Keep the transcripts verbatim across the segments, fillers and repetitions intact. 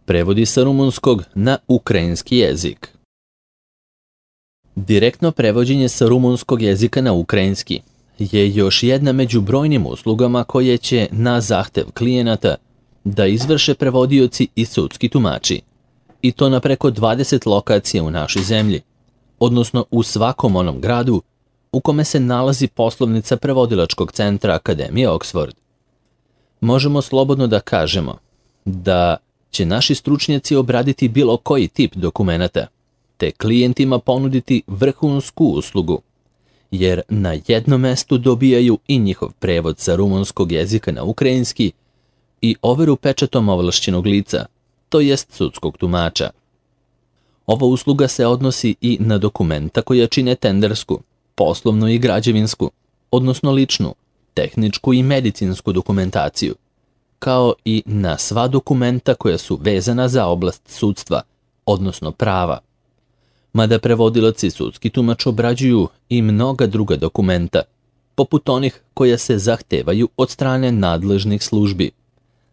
Prevodi sa rumunskog na ukrajinski jezik. Direktno prevođenje sa rumunskog jezika na ukrajinski je još jedna među brojnim uslugama koje će na zahtev klijenata da izvrše prevodioci i sudski tumači, i to na preko dvadeset lokacija u našoj zemlji, odnosno u svakom onom gradu u kome se nalazi poslovnica prevodilačkog centra Akademije Oxford. Možemo slobodno da kažemo da će naši stručnjaci obraditi bilo koji tip dokumenata, te klijentima ponuditi vrhunsku uslugu, jer na jednom mestu dobijaju i njihov prevod sa rumunskog jezika na ukrajinski i overu pečatom ovlašćenog lica, to jest sudskog tumača. Ova usluga se odnosi i na dokumenta koja čine tendersku, poslovnu i građevinsku, odnosno ličnu, tehničku i medicinsku dokumentaciju, kao i na sva dokumenta koja su vezana za oblast sudstva, odnosno prava. Mada prevodilac i sudski tumač obrađuju i mnoga druga dokumenta, poput onih koja se zahtevaju od strane nadležnih službi,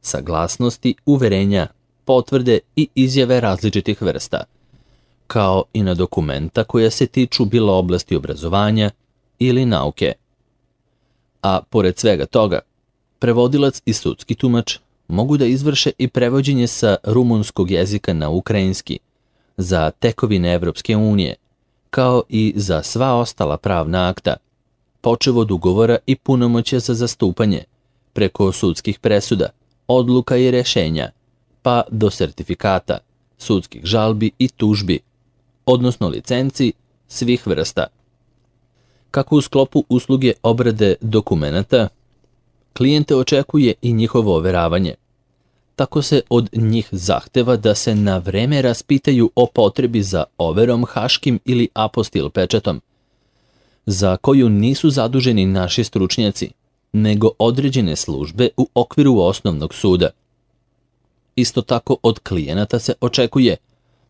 saglasnosti, uverenja, potvrde i izjave različitih vrsta, kao i na dokumenta koja se tiču bilo oblasti obrazovanja ili nauke. A pored svega toga, prevodilac i sudski tumač mogu da izvrše i prevođenje sa rumunskog jezika na ukrajinski za tekovine Evropske unije, kao i za sva ostala pravna akta, počev od ugovora i punomoćja za zastupanje, preko sudskih presuda, odluka i rešenja, pa do sertifikata, sudskih žalbi i tužbi, odnosno licenci svih vrsta. Kako u sklopu usluge obrade dokumenata, klijente očekuje i njihovo overavanje. Tako se od njih zahteva da se na vreme raspitaju o potrebi za overom haškim ili apostil pečatom, za koju nisu zaduženi naši stručnjaci, nego određene službe u okviru osnovnog suda. Isto tako od klijenata se očekuje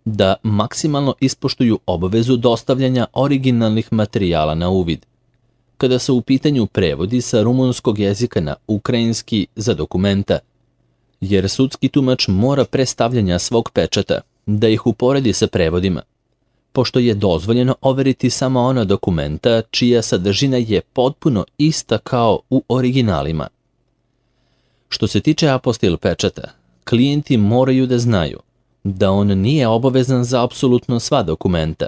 da maksimalno ispoštuju obavezu dostavljanja originalnih materijala na uvid, kada su u pitanju prevodi sa rumunskog jezika na ukrajinski za dokumenta, jer sudski tumač mora pre stavljanja svog pečata da ih uporedi sa prevodima, pošto je dozvoljeno overiti samo ona dokumenta čija sadržina je potpuno ista kao u originalima. Što se tiče apostil pečata, klijenti moraju da znaju da on nije obavezan za apsolutno sva dokumenta,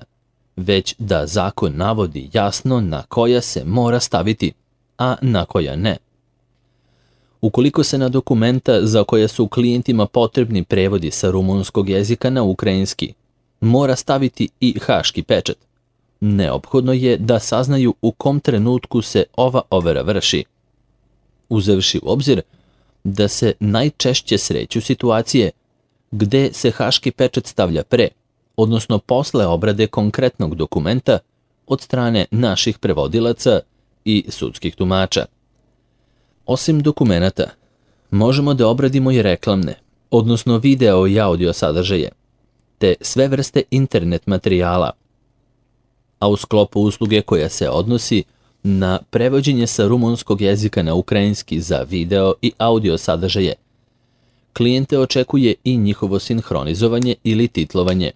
već da zakon navodi jasno na koja se mora staviti, a na koja ne. Ukoliko se na dokumenta za koje su klijentima potrebni prevodi sa rumunskog jezika na ukrajinski mora staviti i haški pečat, neophodno je da saznaju u kom trenutku se ova overa vrši, uzevši u obzir da se najčešće sreću situacije gde se haški pečat stavlja pre, odnosno posle obrade konkretnog dokumenta od strane naših prevodilaca i sudskih tumača. Osim dokumenata, možemo da obradimo i reklamne, odnosno video i audio sadržaje, te sve vrste internet materijala, a u sklopu usluge koja se odnosi na prevođenje sa rumunskog jezika na ukrajinski za video i audio sadržaje, klijente očekuje i njihovo sinhronizovanje ili titlovanje,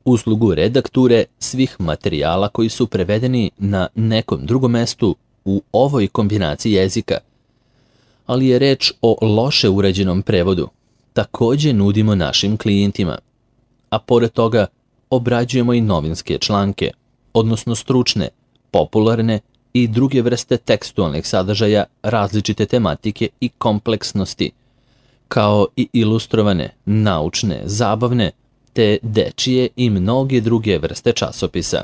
uslugu redakture svih materijala koji su prevedeni na nekom drugom mestu u ovoj kombinaciji jezika, ali je reč o loše urađenom prevodu, takođe nudimo našim klijentima, a pored toga obrađujemo i novinske članke, odnosno stručne, popularne i druge vrste tekstualnih sadržaja različite tematike i kompleksnosti, kao i ilustrovane, naučne, zabavne, te dečije i mnoge druge vrste časopisa.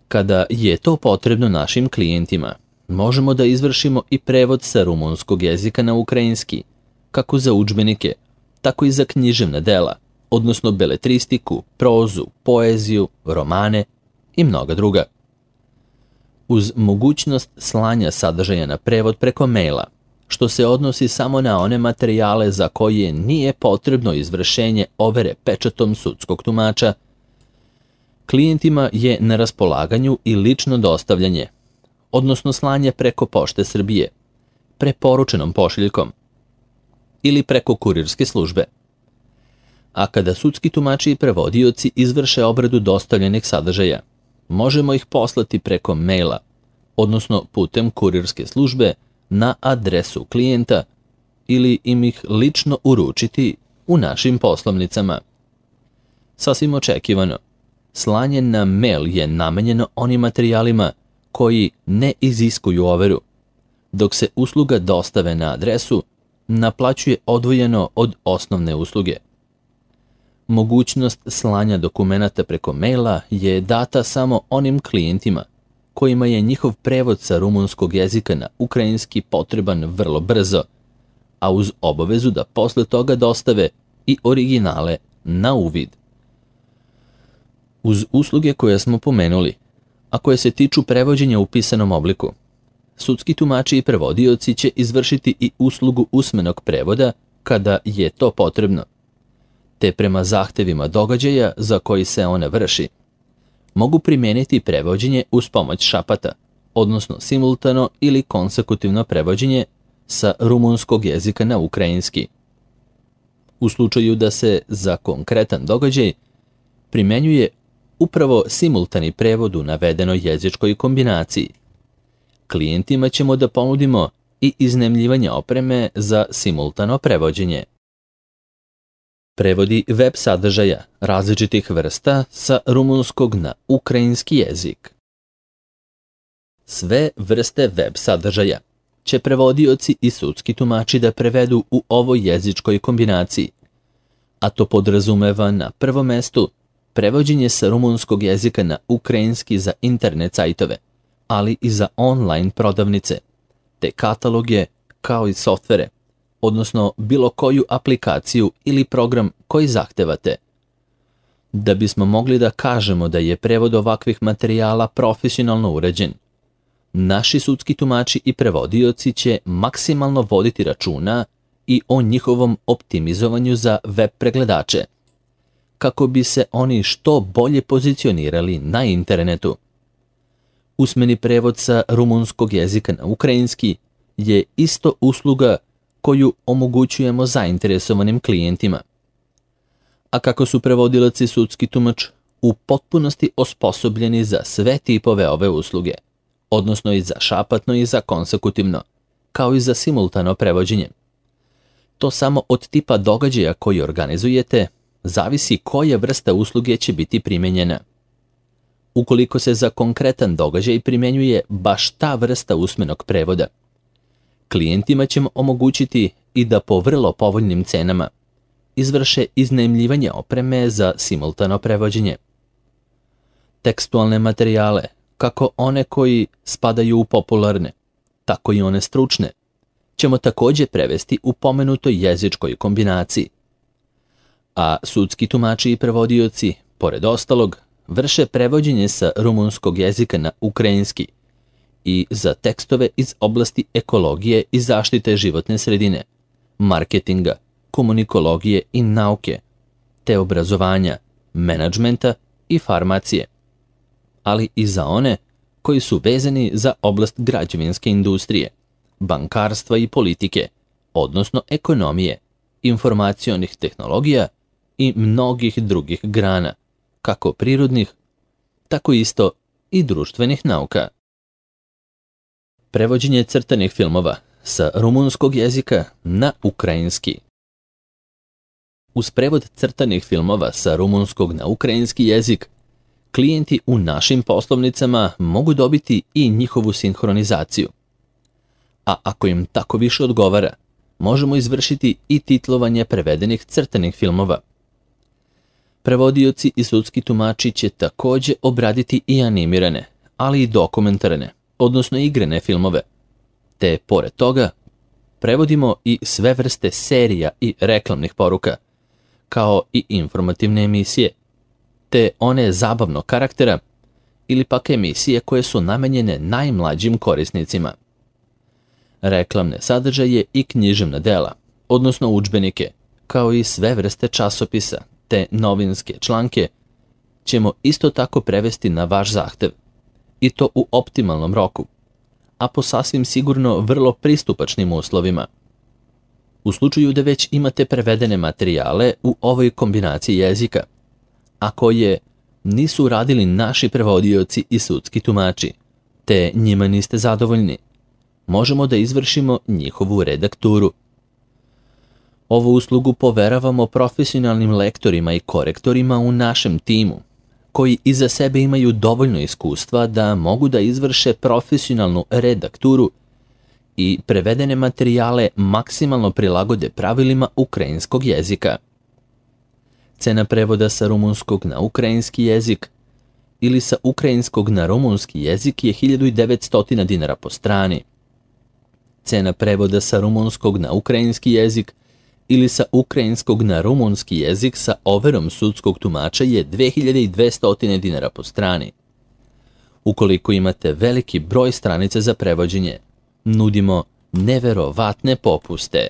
Kada je to potrebno našim klijentima, možemo da izvršimo i prevod sa rumunskog jezika na ukrajinski, kako za udžbenike, tako i za književna dela, odnosno beletristiku, prozu, poeziju, romane i mnoga druga. Uz mogućnost slanja sadržaja na prevod preko maila, što se odnosi samo na one materijale za koje nije potrebno izvršenje overe pečatom sudskog tumača, klijentima je na raspolaganju i lično dostavljanje, odnosno slanje preko Pošte Srbije, preporučenom pošiljkom ili preko kurirske službe, A kada sudski tumači i prevodioci izvrše obradu dostavljenih sadržaja, možemo ih poslati preko maila, odnosno putem kurirske službe na adresu klijenta ili im ih lično uručiti u našim poslovnicama. Sasvim očekivano, slanje na mail je namenjeno onim materijalima koji ne iziskuju overu, dok se usluga dostave na adresu naplaćuje odvojeno od osnovne usluge. Mogućnost slanja dokumenata preko maila je data samo onim klijentima kojima je njihov prevod sa rumunskog jezika na ukrajinski potreban vrlo brzo, a uz obavezu da posle toga dostave i originale na uvid. Uz usluge koje smo pomenuli, a koje se tiču prevođenja u pisanom obliku, sudski tumači i prevodioci će izvršiti i uslugu usmenog prevoda kada je to potrebno, te prema zahtevima događaja za koji se ona vrši, mogu primijeniti prevođenje uz pomoć šapata, odnosno simultano ili konsekutivno prevođenje sa rumunskog jezika na ukrajinski. U slučaju da se za konkretan događaj primjenjuje upravo simultani prevod u navedenoj jezičkoj kombinaciji, klijentima ćemo da ponudimo i iznajmljivanje opreme za simultano prevođenje. Prevodi web sadržaja različitih vrsta sa rumunskog na ukrajinski jezik. Sve vrste web sadržaja će prevodioci i sudski tumači da prevedu u ovoj jezičkoj kombinaciji, a to podrazumeva na prvom mestu prevođenje sa rumunskog jezika na ukrajinski za internet sajtove, ali i za online prodavnice, te kataloge kao i softvere, odnosno bilo koju aplikaciju ili program koji zahtevate. Da bismo mogli da kažemo da je prevod ovakvih materijala profesionalno urađen, naši sudski tumači i prevodioci će maksimalno voditi računa i o njihovom optimizovanju za web pregledače, kako bi se oni što bolje pozicionirali na internetu. Usmeni prevod sa rumunskog jezika na ukrajinski je isto usluga koju omogućujemo zainteresovanim klijentima. A kako su prevodilac i sudski tumač u potpunosti osposobljeni za sve tipove ove usluge, odnosno i za šapatno i za konsekutivno, kao i za simultano prevođenje. To samo od tipa događaja koji organizujete zavisi koja vrsta usluge će biti primjenjena. Ukoliko se za konkretan događaj primjenjuje baš ta vrsta usmenog prevoda, klijentima ćemo omogućiti i da po vrlo povoljnim cenama izvrše iznajmljivanje opreme za simultano prevođenje. Tekstualne materijale, kako one koji spadaju u popularne, tako i one stručne, ćemo također prevesti u pomenutoj jezičkoj kombinaciji. A sudski tumači i prevodioci, pored ostalog, vrše prevođenje sa rumunskog jezika na ukrajinski i za tekstove iz oblasti ekologije i zaštite životne sredine, marketinga, komunikologije i nauke, te obrazovanja, menadžmenta i farmacije, ali i za one koji su vezani za oblast građevinske industrije, bankarstva i politike, odnosno ekonomije, informacionih tehnologija i mnogih drugih grana, kako prirodnih, tako isto i društvenih nauka. Prevođenje crtanih filmova sa rumunskog jezika na ukrajinski. Uz prevod crtanih filmova sa rumunskog na ukrajinski jezik, klijenti u našim poslovnicama mogu dobiti i njihovu sinhronizaciju. A ako im tako više odgovara, možemo izvršiti i titlovanje prevedenih crtanih filmova. Prevodioci i sudski tumači će također obraditi i animirane, ali i dokumentarne, odnosno igrane filmove. Te, pored toga, prevodimo i sve vrste serija i reklamnih poruka, kao i informativne emisije, te one zabavnog karaktera ili pak emisije koje su namenjene najmlađim korisnicima. Reklamne sadržaje i književna dela, odnosno udžbenike, kao i sve vrste časopisa, te novinske članke, ćemo isto tako prevesti na vaš zahtev, i to u optimalnom roku, a po sasvim sigurno vrlo pristupačnim uslovima. U slučaju da već imate prevedene materijale u ovoj kombinaciji jezika, a koje nisu radili naši prevodioci i sudski tumači, te njima niste zadovoljni, možemo da izvršimo njihovu redakturu. Ovu uslugu poveravamo profesionalnim lektorima i korektorima u našem timu, koji iza sebe imaju dovoljno iskustva da mogu da izvrše profesionalnu redakturu i prevedene materijale maksimalno prilagode pravilima ukrajinskog jezika. Cena prevoda sa rumunskog na ukrajinski jezik ili sa ukrajinskog na rumunski jezik je hiljadu devetsto dinara po strani. Cena prevoda sa rumunskog na ukrajinski jezik ili sa ukrajinskog na rumunski jezik sa overom sudskog tumača je dve hiljade dvesta dinara po strani. Ukoliko imate veliki broj stranica za prevođenje, nudimo neverovatne popuste.